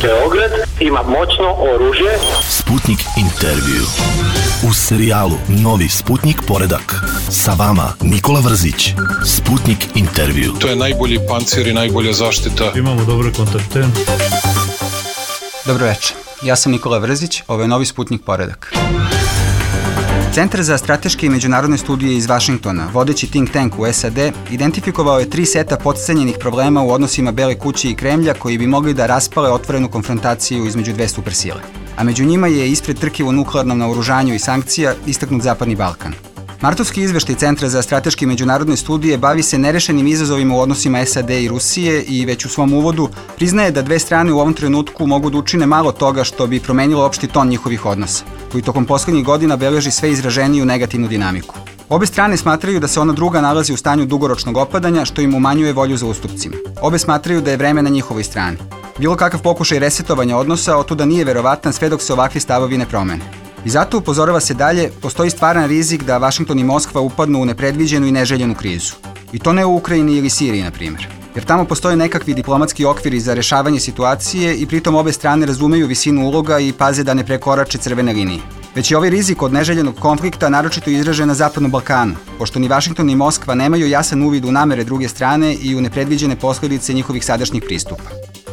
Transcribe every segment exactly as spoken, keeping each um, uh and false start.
Beograd ima moćno oružje. Sputnik intervju. U serijalu Novi Sputnik poredak. Sa vama Nikola Vrzić. Sputnik intervju. To je najbolji pancir i najbolja zaštita. Imamo dobre kontakte. Dobro večer. Ja sam Nikola Vrzić, ovo je Novi Sputnik poredak. Centar za strateške i međunarodne studije iz Vašingtona, vodeći think tank u S A D, identifikovao je tri seta podcenjenih problema u odnosima Bele kuće i Kremlja koji bi mogli da raspale otvorenu konfrontaciju između dve supersile. A među njima je ispred trke u nuklearnom naoružanju i sankcija istaknut Zapadni Balkan. Martovski izveštaj Centra za strateške i međunarodne studije bavi se nerešenim izazovima u odnosima S A D i Rusije i već u svom uvodu priznaje da dve strane u ovom trenutku mogu da učine malo toga što bi promenilo opšti ton njihovih odnosa, koji tokom poslednjih godina beleži sve izraženiju negativnu dinamiku. Obe strane smatraju da se ona druga nalazi u stanju dugoročnog opadanja, što im umanjuje volju za ustupcima. Obe smatraju da je vreme na njihovoj strani. Bilo kakav pokušaj resetovanja odnosa otuda nije verovatan sve dok se ovakvi stavovi ne promene. I zato, upozorava se dalje, postoji stvaran rizik da Vašington i Moskva upadnu u nepredviđenu i neželjenu krizu. I to ne u Ukrajini ili Siriji, na primjer. Jer tamo postoje nekakvi diplomatski okviri za rešavanje situacije i pritom obe strane razumeju visinu uloga i paze da ne prekorače crvene linije. Već je ovaj rizik od neželjenog konflikta naročito izražen na Zapadnom Balkanu, pošto ni Vašington ni Moskva nemaju jasan uvid u namere druge strane i u nepredviđene posledice njihovih sadašnjih pristupa.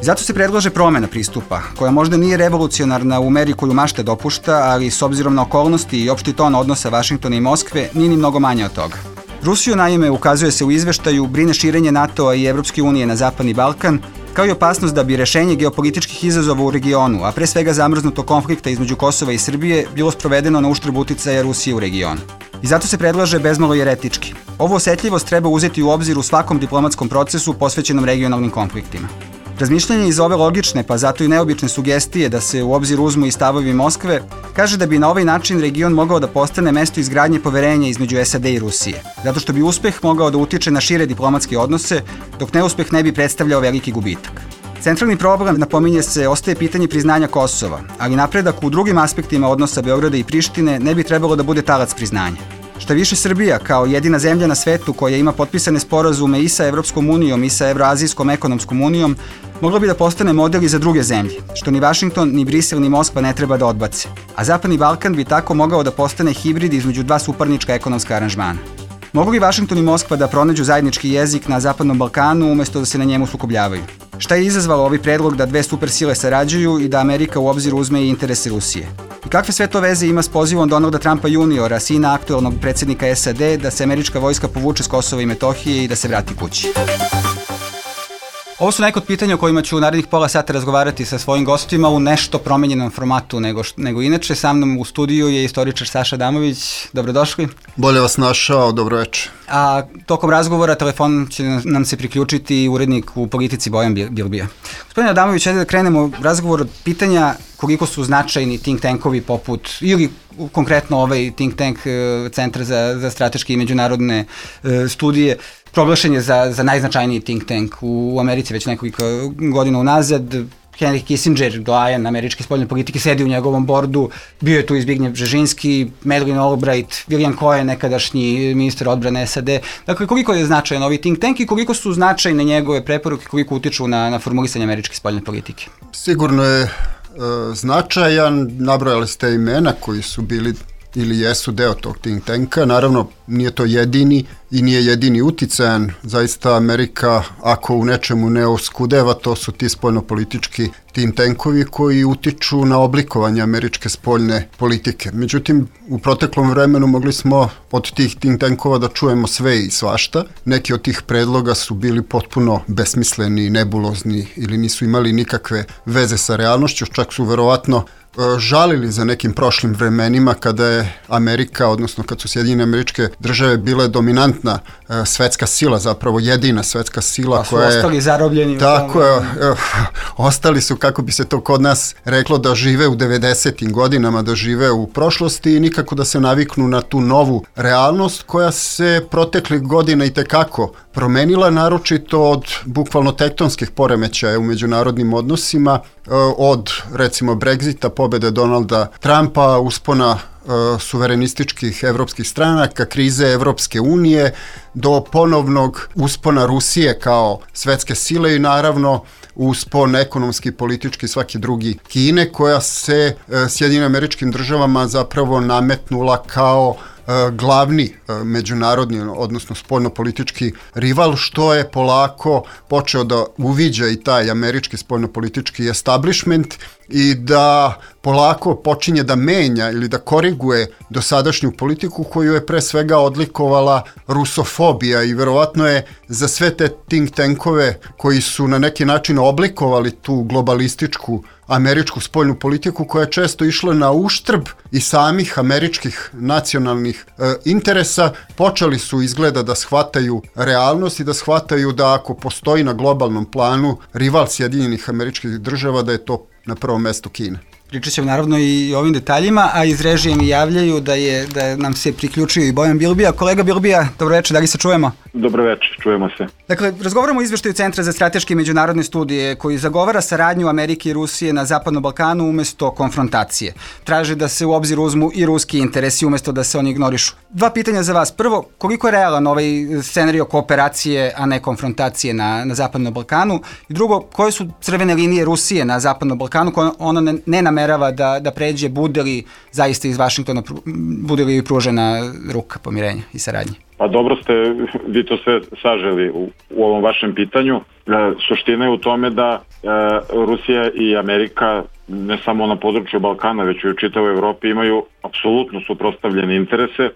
I zato se predlaže promena pristupa, koja možda nije revolucionarna u meri koju mašta dopušta, ali s obzirom na okolnosti i opšti ton odnosa Vašingtona i Moskve, nije ni mnogo manje od toga. Rusiju, naime, ukazuje se u izveštaju, brine širenje NATO-a i Evropske unije na Zapadni Balkan, kao i opasnost da bi rešenje geopolitičkih izazova u regionu, a pre svega zamrznutog konflikta između Kosova i Srbije, bilo sprovedeno na uštrb uticaja Rusije u regionu. I zato se predlaže bezmalo jeretički. Ovu osetljivost treba uzeti u obzir u svakom diplomatskom procesu posvećenom regionalnim konfliktima. Razmišljanje iz ove logične, pa zato i neobične sugestije da se u obzir uzmu i stavovi Moskve, kaže da bi na ovaj način region mogao da postane mesto izgradnje poverenja između S A D i Rusije, zato što bi uspeh mogao da utiče na šire diplomatske odnose, dok neuspeh ne bi predstavljao veliki gubitak. Centralni problem, napominje se, ostaje pitanje priznanja Kosova, ali napredak u drugim aspektima odnosa Beograda i Prištine ne bi trebalo da bude talac priznanja. Šta više, Srbija, kao jedina zemlja na svetu koja ima potpisane sporazume i sa Evropskom unijom i sa Evroazijskom ekonomskom unijom, mogla bi da postane model i za druge zemlje, što ni Vašington, ni Brisel, ni Moskva ne treba da odbace. A Zapadni Balkan bi tako mogao da postane hibrid između dva suparnička ekonomska aranžmana. Mogu li Vašington i Moskva da pronađu zajednički jezik na Zapadnom Balkanu umesto da se na njemu sukobljavaju? Šta je izazvalo ovaj predlog da dve supersile sarađuju i da Amerika u obzir uzme i interese Rusije? I kakve sve to veze ima s pozivom Donalda Trumpa juniora, sina aktuelnog predsjednika S A D, da se američka vojska povuče s Kosova i Metohije i da se vrati kući? Ovo su neka od pitanja o kojima ću u narednih pola sata razgovarati sa svojim gostima u nešto promenjenom formatu nego, nego inače. Sa mnom u studiju je istoričar Saša Adamović. Dobrodošli. Bolje vas našao, dobro večer. A tokom razgovora telefon će nam se priključiti urednik u Politici Bojan Bilbija. Gospodine Adamović, ajde da krenemo razgovor od pitanja koliko su značajni think tankovi poput, ili konkretno ovaj think tank Centar za, za strateške i međunarodne e, studije, proglašen je za, za najznačajniji think tank u Americi već nekoliko godina unazad. Henry Kissinger, doajen američke spoljne politike, sedi u njegovom bordu, bio je tu i Zbigniew Bžežinski, Madeleine Albright, William Cohen, nekadašnji ministar odbrane S A D. Dakle, koliko je značajan ovaj think tank i koliko su značajne njegove preporuke, koliko utiču na, na formulisanje američke spoljne politike? Sigurno je e, značajan, nabrojali ste imena koji su bili ili jesu deo tog think tanka. Naravno, nije to jedini i nije jedini uticajan. Zaista Amerika, ako u nečemu ne oskudeva, to su ti spoljnopolitički think tankovi koji utiču na oblikovanje američke spoljne politike. Međutim, u proteklom vremenu mogli smo od tih think tankova da čujemo sve i svašta. Neki od tih predloga su bili potpuno besmisleni, nebulozni ili nisu imali nikakve veze sa realnošću, čak su verovatno žalili za nekim prošlim vremenima kada je Amerika, odnosno kad su Sjedinjene Američke Države bile dominantna e, svetska sila, zapravo jedina svetska sila pa su koja je... ostali zarobljeni. Tako je, e, ostali su, kako bi se to kod nas reklo, da žive u devedesetim godinama, da žive u prošlosti i nikako da se naviknu na tu novu realnost koja se proteklih godina i tekako promenila, naročito od bukvalno tektonskih poremećaja u međunarodnim odnosima, od recimo Brexita, pobede Donalda Trumpa, uspona suverenističkih evropskih stranaka, krize Evropske unije, do ponovnog uspona Rusije kao svetske sile i naravno uspon ekonomski, politički, svaki drugi Kine, koja se Sjedinjenim Američkim Državama zapravo nametnula kao glavni međunarodni, odnosno spoljnopolitički rival, što je polako počeo da uviđa i taj američki spoljnopolitički establishment i da polako počinje da menja ili da koriguje dosadašnju politiku koju je pre svega odlikovala rusofobija i verovatno je za sve te think tankove koji su na neki način oblikovali tu globalističku američku spoljnu politiku koja je često išla na uštrb i samih američkih nacionalnih e, interesa, počeli su izgleda da shvataju realnost i da shvataju da ako postoji na globalnom planu rival Sjedinjenih Američkih Država, da je to na prvom mestu Kina. Pričat ćemo naravno i o ovim detaljima, a iz režije mi javljaju da je da nam se priključio i Bojan Bilbija. Kolega Bilbija, dobro večer, da li se čujemo? Dobro večer, čujemo se. Dakle, razgovaramo o izveštaju Centra za strateške i međunarodne studije koji zagovara saradnju Amerike i Rusije na Zapadnom Balkanu umesto konfrontacije. Traže da se u obzir uzmu i ruski interesi umesto da se oni ignorišu. Dva pitanja za vas. Prvo, koliko je realan ovaj scenario kooperacije, a ne konfrontacije na, na Zapadnom Balkanu? I drugo, koje su crvene linije Rusije na Zapadnom Balkanu koje ona ne, ne namerava da, da pređe, bude li zaista iz Vašingtona, bude li pružena ruka pomirenja i saradnje? Pa dobro ste vi to sve saželi u, u ovom vašem pitanju. E, suština je u tome da e, Rusija i Amerika ne samo na području Balkana, već i u čitavoj Evropi imaju apsolutno suprotstavljene interese, e,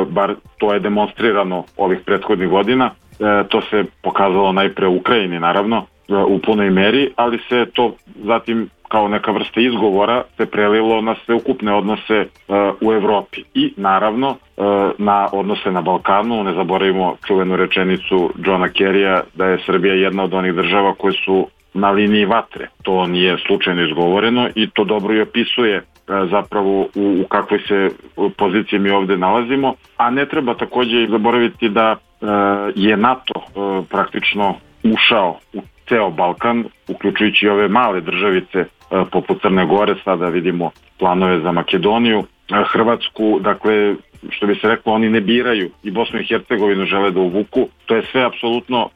bar to je demonstrirano ovih prethodnih godina. E, to se pokazalo najpre u Ukrajini, naravno, e, u punoj meri, ali se to zatim kao neka vrsta izgovora se prelilo na sveukupne odnose uh, u Evropi i naravno uh, na odnose na Balkanu. Ne zaboravimo čuvenu rečenicu Johna Kerrya da je Srbija jedna od onih država koje su na liniji vatre. To nije slučajno izgovoreno i to dobro i opisuje uh, zapravo u, u kakvoj se poziciji mi ovde nalazimo, a ne treba takođe zaboraviti da uh, je NATO uh, praktično ušao u ceo Balkan, uključujući ove male državice poput Crne Gore, sada vidimo planove za Makedoniju, Hrvatsku, dakle, što bi se reklo, oni ne biraju i Bosnu i Hercegovinu žele da uvuku. To je sve apsolutno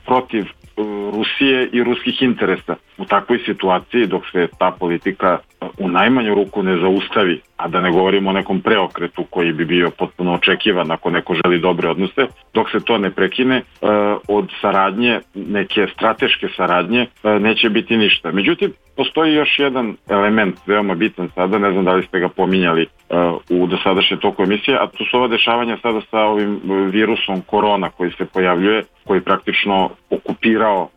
protiv Rusije i ruskih interesa. U takvoj situaciji, dok se ta politika u najmanju ruku ne zaustavi, a da ne govorimo o nekom preokretu koji bi bio potpuno očekivan ako neko želi dobre odnose, dok se to ne prekine, od saradnje, neke strateške saradnje, neće biti ništa. Međutim, postoji još jedan element veoma bitan sada, ne znam da li ste ga pominjali u dosadašnjem toku emisije, a to su ova dešavanja sada sa ovim virusom korona koji se pojavljuje, koji praktično okupirao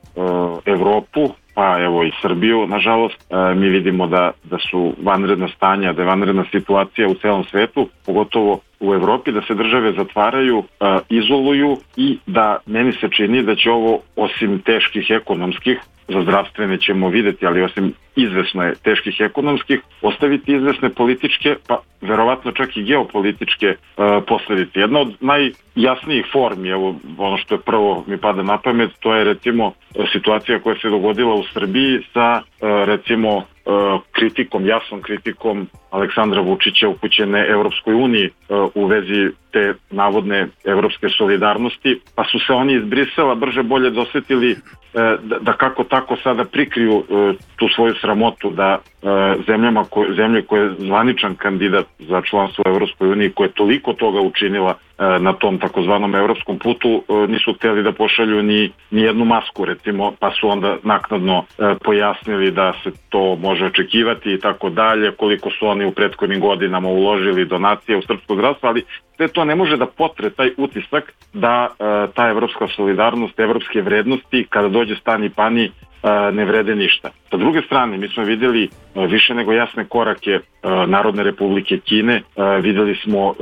Evropu, pa evo i Srbiju, nažalost. Mi vidimo da, da su vanredna stanja, da je vanredna situacija u celom svetu, pogotovo u Evropi, da se države zatvaraju, izoluju i da meni se čini da će ovo, osim teških ekonomskih, za zdravstvene ćemo videti, ali osim izvesno je teških ekonomskih, ostaviti izvesne političke, pa verovatno čak i geopolitičke e, posledice. Jedna od najjasnijih formi, evo ono što je prvo mi pada na pamet, to je recimo situacija koja se dogodila u Srbiji sa e, recimo kritikom, jasnom kritikom Aleksandra Vučića upućene Evropskoj uniji u vezi te navodne evropske solidarnosti, pa su se oni iz Brisela brže bolje dosetili da, da kako tako sada prikriju tu svoju sramotu da zemljama ko, zemlje koje je zvaničan kandidat za članstvo u Evropskoj uniji, koja je toliko toga učinila na tom takozvanom evropskom putu, nisu hteli da pošalju ni, ni jednu masku, recimo, pa su onda naknadno pojasnili da se to može očekivati i tako dalje, koliko su oni u prethodnim godinama uložili donacije u srpsko zdravstvo, ali sve to ne može da potre taj utisak da ta evropska solidarnost, evropske vrednosti, kada dođe stani pani, ne vrede ništa. Sa druge strane, mi smo vidjeli više nego jasne korake Narodne republike Kine, vidjeli smo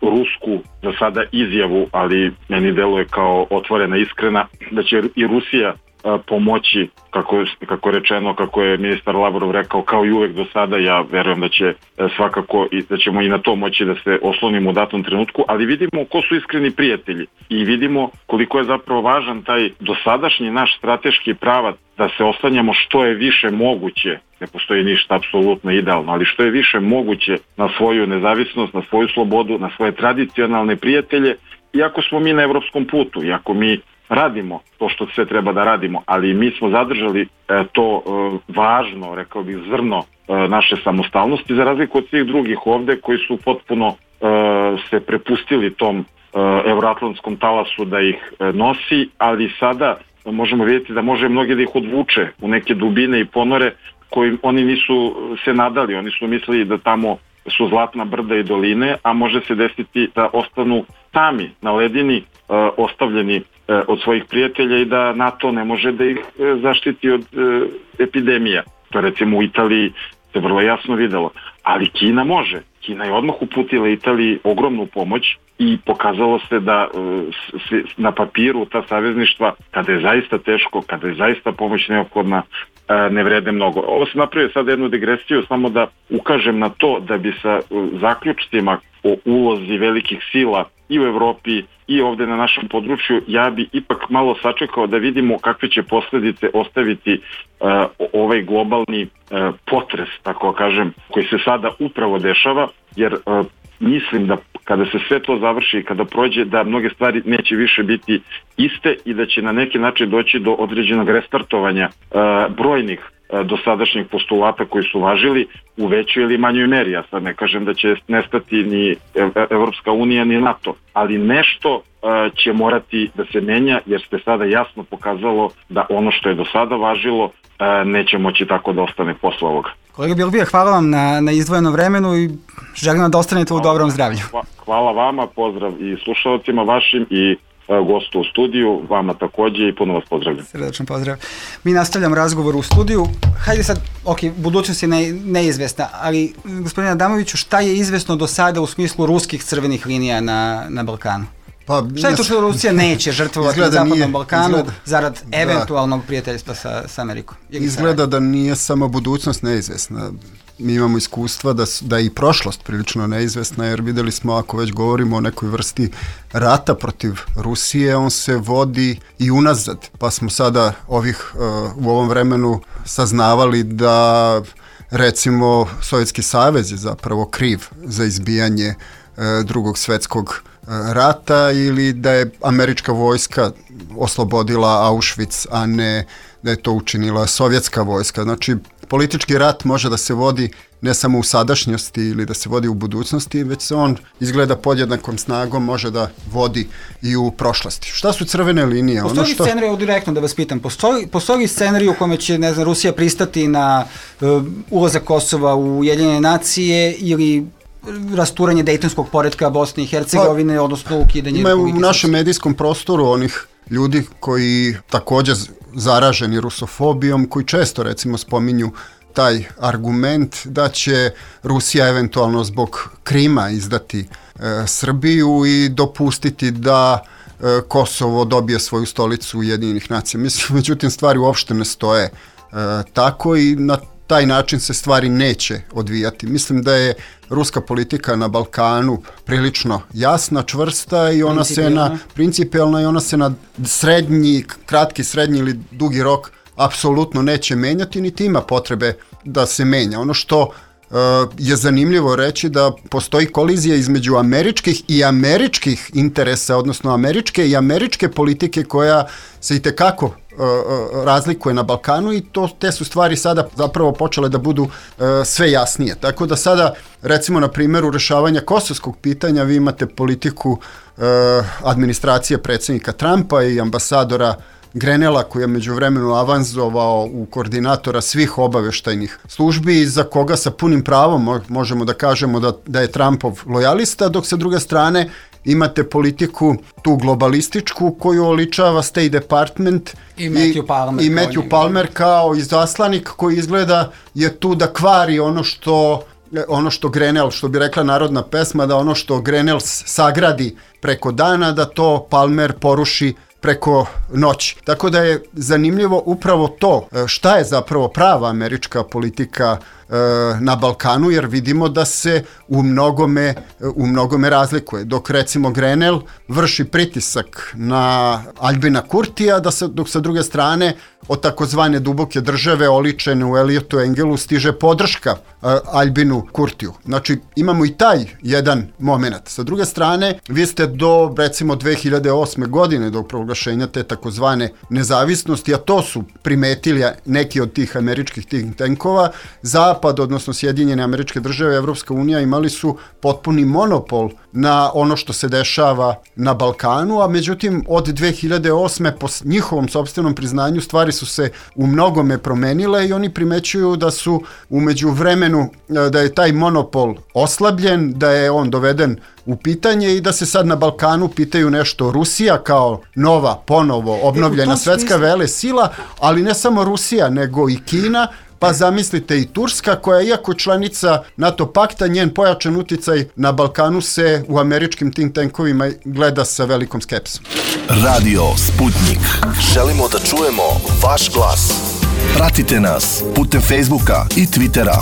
rusku za sada izjavu, ali meni deluje kao otvorena, iskrena, da će i Rusija pomoći, kako je, kako je rečeno, kako je ministar Lavrov rekao, kao i uvek do sada. Ja verujem da će svakako i da ćemo i na to moći da se oslonimo u datom trenutku, ali vidimo ko su iskreni prijatelji i vidimo koliko je zapravo važan taj dosadašnji naš strateški pravac da se oslanjamo što je više moguće, ne postoji ništa apsolutno idealno, ali što je više moguće na svoju nezavisnost, na svoju slobodu, na svoje tradicionalne prijatelje, iako smo mi na evropskom putu, iako mi radimo to što sve treba da radimo, ali mi smo zadržali e, to e, važno, rekao bih, zrno e, naše samostalnosti, za razliku od svih drugih ovde koji su potpuno e, se prepustili tom e, evroatlantskom talasu da ih e, nosi, ali sada možemo vidjeti da može mnogi da ih odvuče u neke dubine i ponore koji oni nisu se nadali, oni su mislili da tamo su zlatna brda i doline, a može se desiti da ostanu sami na ledini, e, ostavljeni e, od svojih prijatelja i da NATO ne može da ih e, zaštiti od e, epidemija. To recimo u Italiji se vrlo jasno videlo, ali Kina može. Kina je odmah uputila Italiji ogromnu pomoć i pokazalo se da e, na papiru ta savezništva, kada je zaista teško, kada je zaista pomoć neophodna, e, ne vrede mnogo. Ovo se napravio sad jednu digresiju, samo da ukažem na to da bi sa e, zaključcima o ulozi velikih sila i u Evropi i ovde na našem području, ja bi ipak malo sačekao da vidimo kakve će posledice ostaviti uh, ovaj globalni uh, potres, tako kažem, koji se sada upravo dešava, jer uh, mislim da kada se sve to završi i kada prođe, da mnoge stvari neće više biti iste i da će na neki način doći do određenog restartovanja uh, brojnih dosadašnjih postulata koji su važili u većoj ili manjoj meri. Ja sad ne kažem da će nestati ni Evropska unija ni NATO, ali nešto će morati da se menja, jer ste sada jasno pokazalo da ono što je do sada važilo neće moći tako da ostane posle ovoga. Kolega Bilbija, hvala vam na, na izdvojenom vremenu i želim vam da ostanete u dobrom zdravlju. Hvala vama, pozdrav i slušalcima vašim i gostu u studiju, vama takođe i puno vas pozdravljam. Srdačan pozdrav. Mi nastavljamo razgovor u studiju. Hajde sad, ok, budućnost je ne, neizvesna, ali gospodine Adamoviću, šta je izvesno do sada u smislu ruskih crvenih linija na, na Balkanu? Pa, šta je to što Rusija neće žrtvovati na Zapadnom nije, Balkanu izgleda, zarad eventualnog da, prijateljstva sa, sa Amerikom? Izgleda da nije samo budućnost neizvesna. Mi imamo iskustva da, da je i prošlost prilično neizvesna, jer videli smo, ako već govorimo o nekoj vrsti rata protiv Rusije, on se vodi i unazad. Pa smo sada ovih, uh, u ovom vremenu saznavali da, recimo, Sovjetski savez je zapravo kriv za izbijanje uh, drugog svetskog rata, ili da je američka vojska oslobodila Auschwitz, a ne da je to učinila sovjetska vojska. Znači, politički rat može da se vodi ne samo u sadašnjosti ili da se vodi u budućnosti, već se on izgleda podjednakom snagom može da vodi i u prošlosti. Šta su crvene linije? Postoji ono što... li scenarij, direktno da vas pitam, postoji, postoji li scenarij u kome će, ne znam, Rusija pristati na uh, ulazak Kosova u Ujedinjene nacije ili rasturanje dejtonskog poretka Bosne i Hercegovine, pa, odnosno ukidanje... Ima u našem medijskom prostoru onih ljudi koji također zaraženi rusofobijom, koji često recimo spominju taj argument da će Rusija eventualno zbog Krima izdati e, Srbiju i dopustiti da e, Kosovo dobije svoju stolicu Ujedinjenih nacija. Mislim, međutim, stvari uopšte ne stoje e, tako i na taj način se stvari neće odvijati. Mislim da je ruska politika na Balkanu prilično jasna, čvrsta i ona se na principijelna i ona se na srednji, kratki, srednji ili dugi rok apsolutno neće menjati, niti ima potrebe da se menja. Ono što uh, je zanimljivo reći da postoji kolizija između američkih i američkih interesa, odnosno američke i američke politike koja se itekako razlikuje na Balkanu i to, te su stvari sada zapravo počele da budu uh, sve jasnije. Tako da sada, recimo na primjeru rešavanja kosovskog pitanja, vi imate politiku uh, administracije predsjednika Trumpa i ambasadora Grenela, koji je međuvremenu avanzovao u koordinatora svih obaveštajnih službi i za koga sa punim pravom možemo da kažemo da, da je Trumpov lojalista, dok sa druge strane imate politiku tu globalističku koju oličava State Department i Matthew Palmer, i Matthew Palmer kao izaslanik koji izgleda je tu da kvari ono što ono što Grenell, što bi rekla narodna pesma, da ono što Grenell sagradi preko dana, da to Palmer poruši preko noći. Tako da je zanimljivo upravo to šta je zapravo prava američka politika na Balkanu, jer vidimo da se u mnogome, u mnogome razlikuje. Dok recimo Grenell vrši pritisak na Albina Kurtija, da se, dok sa druge strane od takozvane duboke države oličene u Eliotu Engelu stiže podrška uh, Albinu Kurtiju. Znači imamo i taj jedan moment. Sa druge strane, vi ste do recimo dve hiljade osme godine, do proglašenja te takozvane nezavisnosti, a to su primetili neki od tih američkih think tankova, Zapad, odnosno Sjedinjene Američke Države i Evropska unija imali su potpuni monopol na ono što se dešava na Balkanu, a međutim od dve hiljade osme po njihovom sopstvenom priznanju stvari su se u mnogome promenile i oni primećuju da su u međuvremenu, da je taj monopol oslabljen, da je on doveden u pitanje i da se sad na Balkanu pitaju nešto Rusija kao nova, ponovo obnovljena e, svetska vele sila, ali ne samo Rusija, nego i Kina, pa zamislite i Turska, koja iako članica NATO pakta, njen pojačan uticaj na Balkanu se u američkim think tankovima gleda sa velikom skepsom. Radio Sputnik. Želimo da čujemo vaš glas. Pratite nas putem Facebooka i Twittera.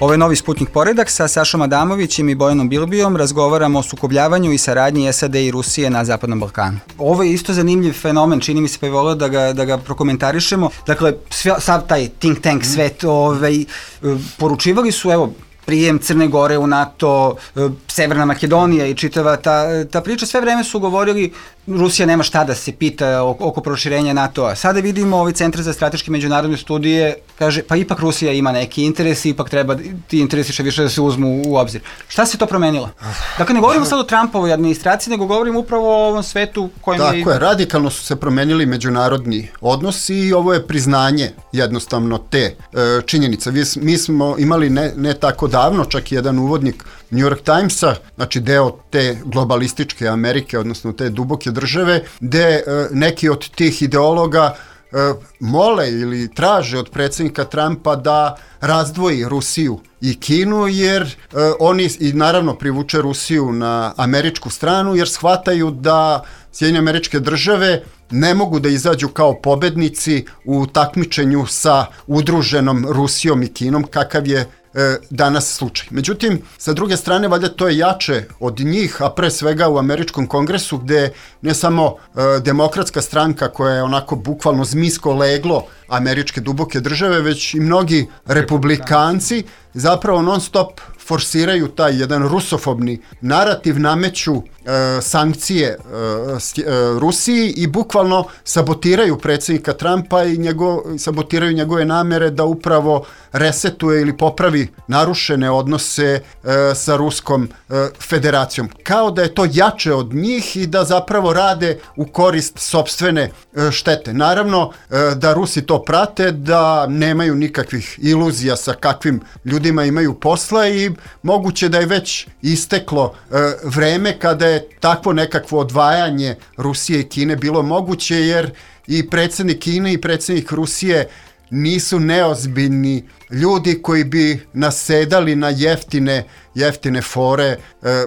Ovo je novi Sputnik poredak sa Sašom Adamovićem i Bojanom Bilbijom. Razgovaramo o sukobljavanju i saradnji S A D i Rusije na Zapadnom Balkanu. Ovo je isto zanimljiv fenomen, čini mi se, pa je volio da ga, da ga prokomentarišemo. Dakle, sve, sav taj think tank svet ovaj, poručivali su, evo, prijem Crne Gore u NATO, Severna Makedonija i čitava ta, ta priča, sve vreme su govorili Rusija nema šta da se pita oko proširenja NATO-a. Sada vidimo ovaj Centar za strateške međunarodne studije, kaže, pa ipak Rusija ima neki interes, ipak treba ti interesi što više da se uzmu u obzir. Šta se to promenilo? Dakle, ne govorimo sad o Trumpovoj administraciji, nego govorimo upravo o ovom svetu kojem je... Tako je, radikalno su se promenili međunarodni odnosi i ovo je priznanje jednostavno te e, činjenice. Mi, mi smo imali ne, ne tako davno, čak i jedan uvodnik New York Timesa, znači deo te globalističke Amerike, odnosno te duboke države, gde e, neki od tih ideologa e, mole ili traže od predsjednika Trumpa da razdvoji Rusiju i Kinu, jer e, oni i naravno privuče Rusiju na američku stranu, jer shvataju da Sjedinjene Američke Države ne mogu da izađu kao pobednici u takmičenju sa udruženom Rusijom i Kinom, kakav je e, danas slučaj. Međutim, sa druge strane, valjda to je jače od njih, a pre svega u američkom kongresu, gde ne samo e, demokratska stranka koja je onako bukvalno zmijsko leglo američke duboke države, već i mnogi republikanci zapravo non stop forsiraju taj jedan rusofobni narativ, nameću e, sankcije e, s, e, Rusiji i bukvalno sabotiraju predsjednika Trumpa i njego, sabotiraju njegove namere da upravo resetuje ili popravi narušene odnose e, sa Ruskom e, federacijom. Kao da je to jače od njih i da zapravo rade u korist sopstvene e, štete. Naravno e, da Rusi to prate, da nemaju nikakvih iluzija sa kakvim ljudima imaju posla i moguće da je već isteklo e, vreme kada je takvo nekakvo odvajanje Rusije i Kine bilo moguće, jer i predsjednik Kine i predsjednik Rusije nisu neozbiljni ljudi koji bi nasedali na jeftine, jeftine fore e,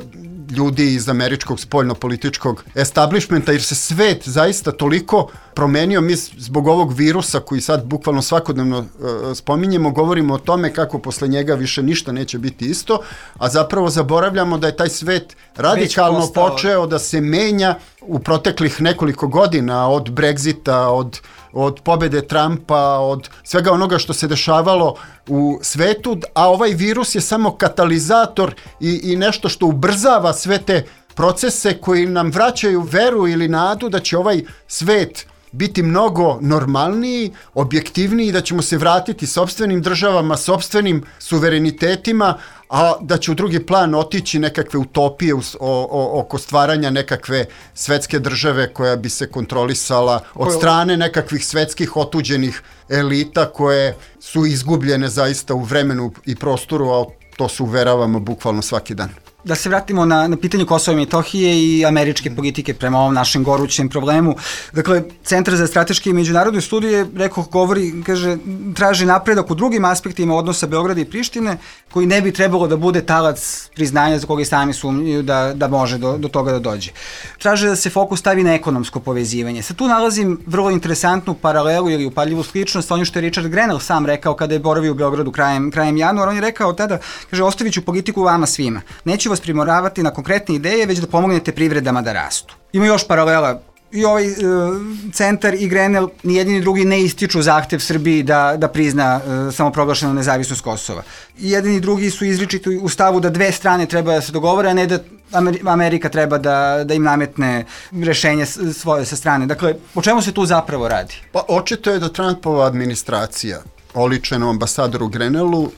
ljudi iz američkog spoljno-političkog establishmenta, jer se svet zaista toliko promenio. Mi zbog ovog virusa koji sad bukvalno svakodnevno e, spominjemo, govorimo o tome kako posle njega više ništa neće biti isto, a zapravo zaboravljamo da je taj svet radikalno počeo da se menja u proteklih nekoliko godina, od Brexita, od od pobede Trumpa, od svega onoga što se dešavalo u svetu, a ovaj virus je samo katalizator i, i nešto što ubrzava sve te procese koji nam vraćaju veru ili nadu da će ovaj svet biti mnogo normalniji, objektivniji, da ćemo se vratiti sopstvenim državama, sopstvenim suverenitetima, a da će u drugi plan otići nekakve utopije o, o, oko stvaranja nekakve svetske države koja bi se kontrolisala od strane nekakvih svetskih otuđenih elita koje su izgubljene zaista u vremenu i prostoru, a to se uveravamo bukvalno svaki dan. da se vratimo na, na pitanje Kosova i Metohije i američke politike prema ovom našem gorućem problemu. Dakle, Centar za strateške i međunarodne studije, rekao, govori, kaže, traži napredak u drugim aspektima odnosa Beograda i Prištine, koji ne bi trebalo da bude talac priznanja za koga i sami sumnjaju da, da može do, do toga da dođe. Traže da se fokus stavi na ekonomsko povezivanje. Sad tu nalazim vrlo interesantnu paralelu ili upadljivu sličnost, ono što je Richard Grenell sam rekao kada je boravio u Beogradu krajem, krajem januara. On je rekao tada, kaže, ostavit ću politiku vama svima. Neću vas primoravati na konkretne ideje, već da pomognete privredama da rastu. Ima još paralela. I ovaj e, centar i Grenell, ni jedni ni drugi ne ističu zahtev Srbiji da, da prizna e, samoproglašenu nezavisnost Kosova. I jedni i drugi su izričiti u stavu da dve strane treba da se dogovore, a ne da Amerika treba da, da im nametne rešenje svoje sa strane. Dakle, o čemu se tu zapravo radi? Pa očito je da Trumpova administracija, oličena u ambasadoru Grenellu,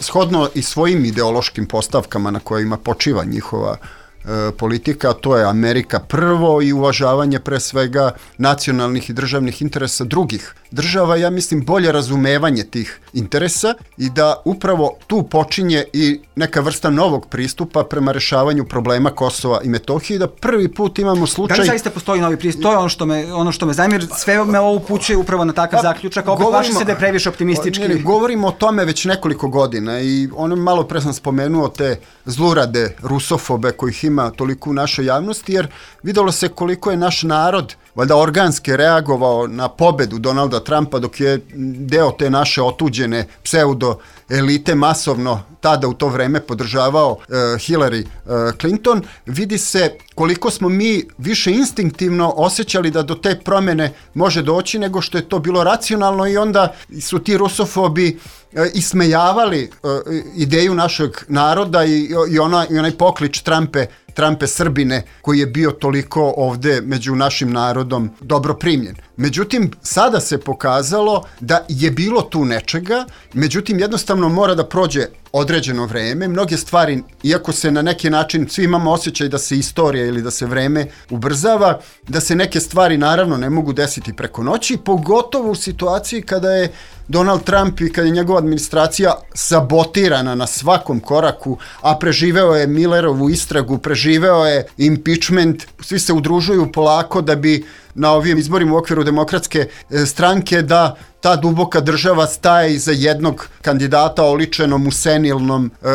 shodno i svojim ideološkim postavkama na kojima počiva njihova e, politika, to je Amerika prvo i uvažavanje pre svega nacionalnih i državnih interesa drugih država, ja mislim bolje razumevanje tih interesa i da upravo tu počinje i neka vrsta novog pristupa prema rešavanju problema Kosova i Metohije, da prvi put imamo slučaj... Da li zaista postoji novi pristup? To je ono što me, ono što me zanima, jer sve me ovo upućuje upravo na takav pa, zaključak, a opet plaši se da je previše optimistički. Ne, ne, govorimo o tome već nekoliko godina i ono malo pre sam spomenuo te zlurade rusofobe kojih ima toliko u našoj javnosti, jer videlo se koliko je naš narod valjda organski reagovao na pobedu Donalda Trumpa, dok je deo te naše otuđene pseudo elite masovno tada u to vreme podržavao uh, Hillary uh, Clinton. Vidi se koliko smo mi više instinktivno osjećali da do te promene može doći nego što je to bilo racionalno, i onda su ti rusofobi uh, ismejavali uh, ideju našeg naroda i, i, ona, i onaj poklič Trumpe Trumpe Srbine, koji je bio toliko ovde među našim narodom dobro primljen. Međutim, sada se pokazalo da je bilo tu nečega, međutim, jednostavno mora da prođe određeno vreme. Mnoge stvari, iako se na neki način svi imamo osjećaj da se istorija ili da se vreme ubrzava, da se neke stvari naravno ne mogu desiti preko noći, pogotovo u situaciji kada je Donald Trump i kada je njegova administracija sabotirana na svakom koraku, a preživeo je Millerovu istragu, preživeo je impeachment, svi se udružuju polako da bi na ovim izborima u okviru demokratske stranke da ta duboka država staje iza jednog kandidata oličenom u senilnom e,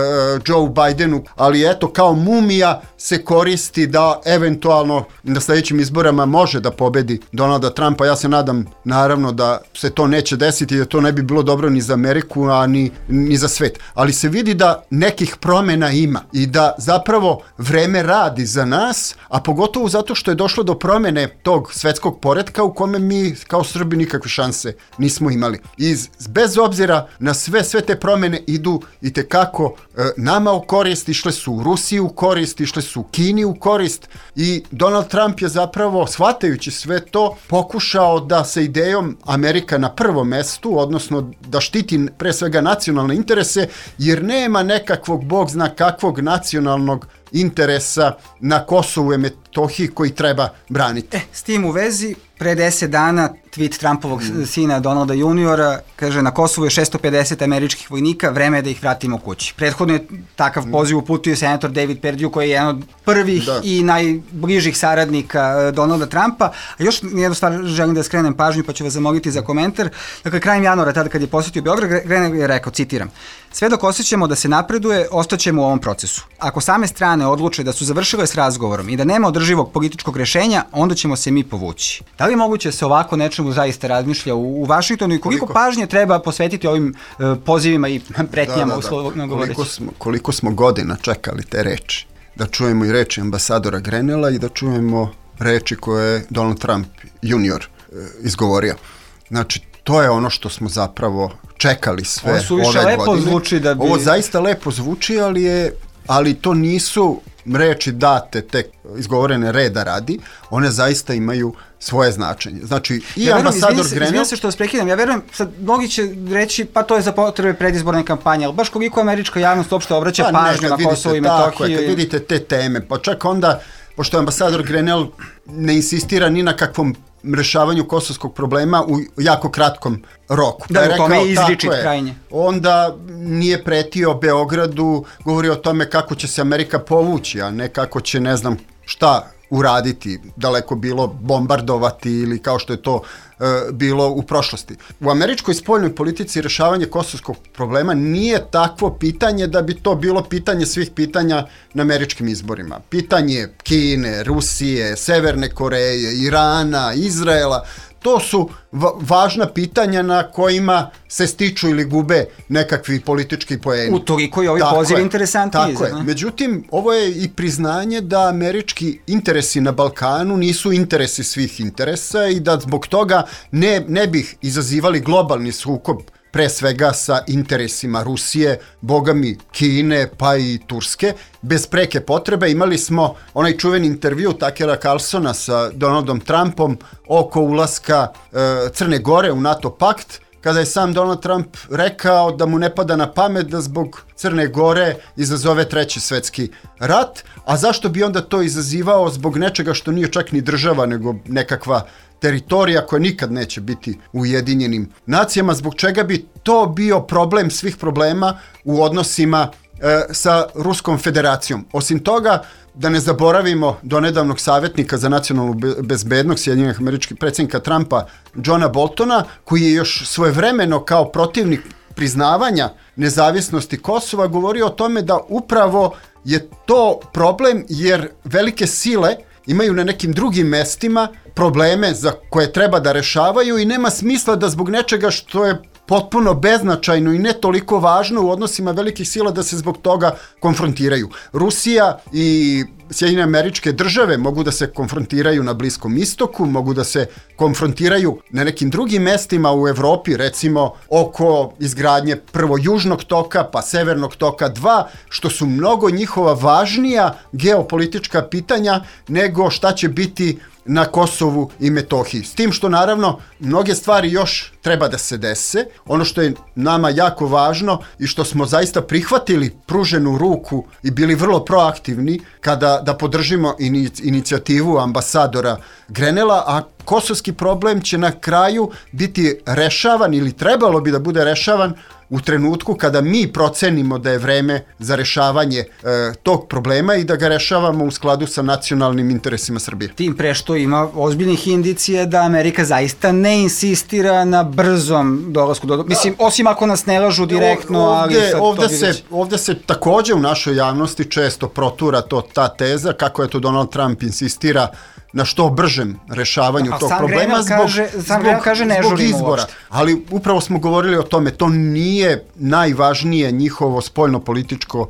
Joe Bidenu, ali eto, kao mumija se koristi da eventualno na sledećim izborama može da pobedi Donalda Trumpa. Ja se nadam naravno da se to neće desiti, da to ne bi bilo dobro ni za Ameriku, a ni, ni za svet. Ali se vidi da nekih promena ima i da zapravo vreme radi za nas, a pogotovo zato što je došlo do promene tog svetskog poretka u kome mi kao Srbi nikakve šanse nismo imali. I bez obzira na sve, sve te promene idu i tekako e, nama u korist, išle su u Rusiji u korist, išle su u Kini u korist, i Donald Trump je zapravo, shvatajući sve to, pokušao da sa idejom Amerika na prvom mestu, odnosno da štiti pre svega nacionalne interese, jer nema nekakvog bog zna kakvog nacionalnog interesa na Kosovu i Metohiji koji treba braniti. E, s tim u vezi, pre deset dana tweet Trumpovog mm. sina Donalda juniora, kaže, na Kosovu je šesto pedeset američkih vojnika, vreme je da ih vratimo kući. Prethodno je takav poziv uputio senator David Perdue, koji je jedan od prvih da. i najbližih saradnika Donalda Trumpa. A još jednu stvar želim da skrenem pažnju, pa ću vas zamoliti za komentar. Dakle, krajem januara, tada kad je posjetio Beograd, Grenell je rekao, citiram, sve dok osjećamo da se napreduje, ostaćemo u ovom procesu. Ako same strane odluče da su završile s razgovorom i da nema održivog političkog rešenja, onda ćemo se mi povući. Da li je moguće se ovako nečemu zaista razmišlja u, u Vašingtonu i koliko, koliko pažnje treba posvetiti ovim uh, pozivima i pretnjama, da, da, da. uslovno govoreći? Koliko smo, koliko smo godina čekali te reči. Da čujemo i reči ambasadora Grenella i da čujemo reči koje je Donald Trump junior uh, izgovorio. Znači, to je ono što smo zapravo čekali sve ove godine. Ovo suviše lepo zvuči da bi... Ovo zaista lepo zvuči, ali je, ali to nisu reči date tek izgovorene reda radi, one zaista imaju svoje značenje. Znači, i ja ambasador Grenell... Izvijem se što vas prekidam, ja verujem, sad mnogi će reći, pa to je za potrebe predizborne kampanje, ali baš koliko američka javnost uopšte obraća pa pažnju na Kosovo i Metohiju. Kad vidite te teme, pa čak onda, pošto ambasador Grenell ne insistira ni na kakvom rešavanju kosovskog problema u jako kratkom roku. Da, pa u tome je izričit krajnje. Onda nije pretio Beogradu, govori o tome kako će se Amerika povući, a ne kako će, ne znam šta, uraditi, daleko bilo bombardovati ili kao što je to e, bilo u prošlosti. U američkoj spoljnoj politici rešavanje kosovskog problema nije takvo pitanje da bi to bilo pitanje svih pitanja na američkim izborima. Pitanje Kine, Rusije, Severne Koreje, Irana, Izraela, to su va- važna pitanja na kojima se stiču ili gube nekakvi politički poeni. U toliko je ovaj poziv interesantniji. Tako je. Međutim, ovo je i priznanje da američki interesi na Balkanu nisu interesi svih interesa i da zbog toga ne, ne bih izazivali globalni sukob pre svega sa interesima Rusije, bogami Kine, pa i Turske. Bez preke potrebe imali smo onaj čuveni intervju Takera Carlsona sa Donaldom Trumpom oko ulaska e, Crne Gore u NATO pakt, kada je sam Donald Trump rekao da mu ne pada na pamet da zbog Crne Gore izazove treći svetski rat, a zašto bi onda to izazivao zbog nečega što nije čak ni država, nego nekakva teritorija koja nikad neće biti u Ujedinjenim nacijama, zbog čega bi to bio problem svih problema u odnosima e, sa Ruskom federacijom. Osim toga, da ne zaboravimo donedavnog savjetnika za nacionalnu bezbednost Sjedinjenih Američkih predsjednika Trumpa, Johna Boltona, koji je još svojevremeno kao protivnik priznavanja nezavisnosti Kosova govorio o tome da upravo je to problem jer velike sile imaju na nekim drugim mestima probleme za koje treba da rešavaju i nema smisla da zbog nečega što je potpuno beznačajno i ne toliko važno u odnosima velikih sila da se zbog toga konfrontiraju. Rusija i Sjedinjene Američke Države mogu da se konfrontiraju na Bliskom istoku, mogu da se konfrontiraju na nekim drugim mestima u Evropi, recimo oko izgradnje prvo Južnog toka, pa Severnog toka dva, što su mnogo njihova važnija geopolitička pitanja nego šta će biti na Kosovu i Metohiji. S tim što naravno mnoge stvari još treba da se dese. Ono što je nama jako važno i što smo zaista prihvatili pruženu ruku i bili vrlo proaktivni kada da podržimo inicijativu ambasadora Grenela, a kosovski problem će na kraju biti rešavan ili trebalo bi da bude rešavan u trenutku kada mi procenimo da je vreme za rešavanje e, tog problema i da ga rešavamo u skladu sa nacionalnim interesima Srbije. Tim pre što ima ozbiljnih indicije da Amerika zaista ne insistira na brzom dolasku do... Mislim, osim ako nas ne lažu direktno, ovde, ali... Sad ovde, to se, ovde se takođe u našoj javnosti često protura to, ta teza kako je to Donald Trump insistira na što bržem rešavanju a tog sam problema zbog, kaže, zbog, kaže ne zbog izbora. Uopšte. Ali upravo smo govorili o tome, to nije najvažnije njihovo spoljno-političko uh,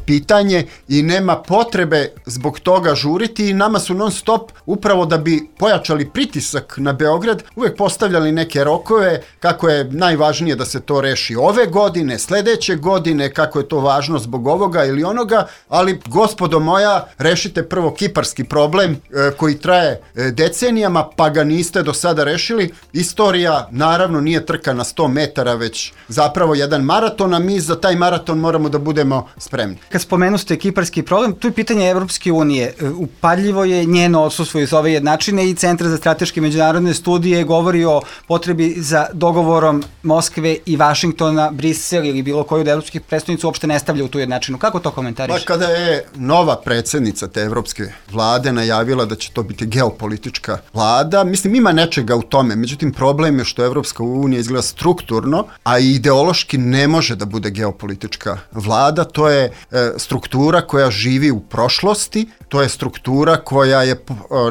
pitanje i nema potrebe zbog toga žuriti i nama su non stop upravo da bi pojačali pritisak na Beograd uvek postavljali neke rokove kako je najvažnije da se to reši ove godine, sledeće godine, kako je to važno zbog ovoga ili onoga, ali gospodo moja, rešite prvo kiparski problem uh, koji traje decenijama, pa ga niste do sada rešili. Istorija naravno nije trka na sto metara, već zapravo jedan maraton, a mi za taj maraton moramo da budemo spremni. Kad spomenu ste kiparski problem, tu je pitanje Evropske unije. Upadljivo je njeno odsustvo iz ove jednačine i Centar za strateške međunarodne studije govori o potrebi za dogovorom Moskve i Vašingtona, Brisel ili bilo koju od evropskih predstavnica uopšte ne stavlja u tu jednačinu. Kako to komentariš? Pa kada je nova predsednica te evropske vlade najavila da će to biti geopolitička vlada, mislim ima nečega u tome, međutim problem je što Evropska unija izgleda strukturno, a i ideološki ne može da bude geopolitička vlada, to je e, struktura koja živi u prošlosti, to je struktura koja je e,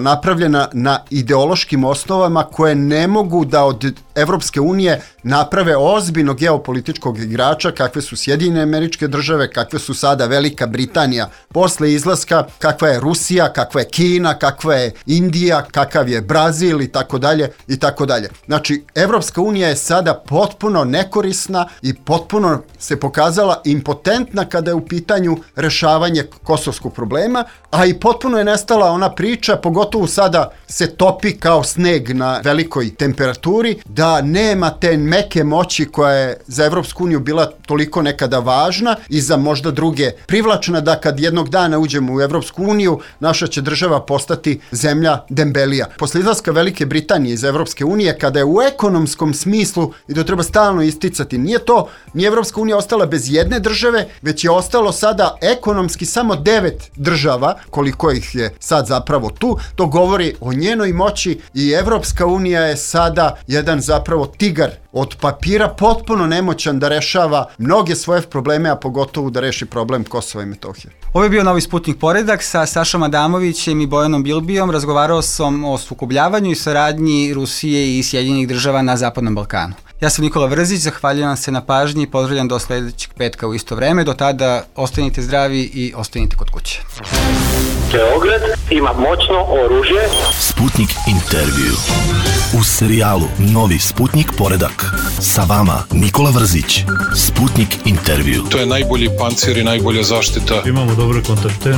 napravljena na ideološkim osnovama koje ne mogu da od Evropske unije naprave ozbiljno geopolitičkog igrača kakve su Sjedinjene Američke Države, kakve su sada Velika Britanija posle izlaska, kakva je Rusija, kakva je Kina, kakva je Indija, kakav je Brazil i tako dalje i tako dalje. Znači, Evropska unija je sada potpuno nekorisna i potpuno se pokazala impotentna kada je u pitanju rešavanje kosovskog problema, a i potpuno je nestala ona priča, pogotovo sada se topi kao sneg na velikoj temperaturi, da da nema te meke moći koja je za Evropsku uniju bila toliko nekada važna i za možda druge privlačna, da kad jednog dana uđemo u Evropsku uniju, naša će država postati zemlja dembelija. Posle izlaska Velike Britanije iz Evropske unije, kada je u ekonomskom smislu, i to treba stalno isticati, nije to, nije Evropska unija ostala bez jedne države, već je ostalo sada ekonomski samo devet država, koliko ih je sad zapravo tu. To govori o njenoj moći i Evropska unija je sada jedan zapravo tigar od papira, potpuno nemoćan da rešava mnoge svoje probleme, a pogotovo da reši problem Kosova i Metohije. Ovo je bio Novi Sputnik Poredak sa Sašom Adamovićem i Bojanom Bilbijom. Razgovarao sam o sukobljavanju i saradnji Rusije i Sjedinjenih država na Zapadnom Balkanu. Ja sam Nikola Vrzić, zahvaljujem se na pažnji i pozdravljam do sledećeg petka u isto vreme. Do tada ostanite zdravi i ostanite kod kuće. Beograd ima moćno oružje. Sputnik intervju. U serijalu Novi Sputnik Poredak. Sa vama Nikola Vrzić. Sputnik intervju. To je najbolji pancir i najbolja zaštita. Imamo dobre kontakte.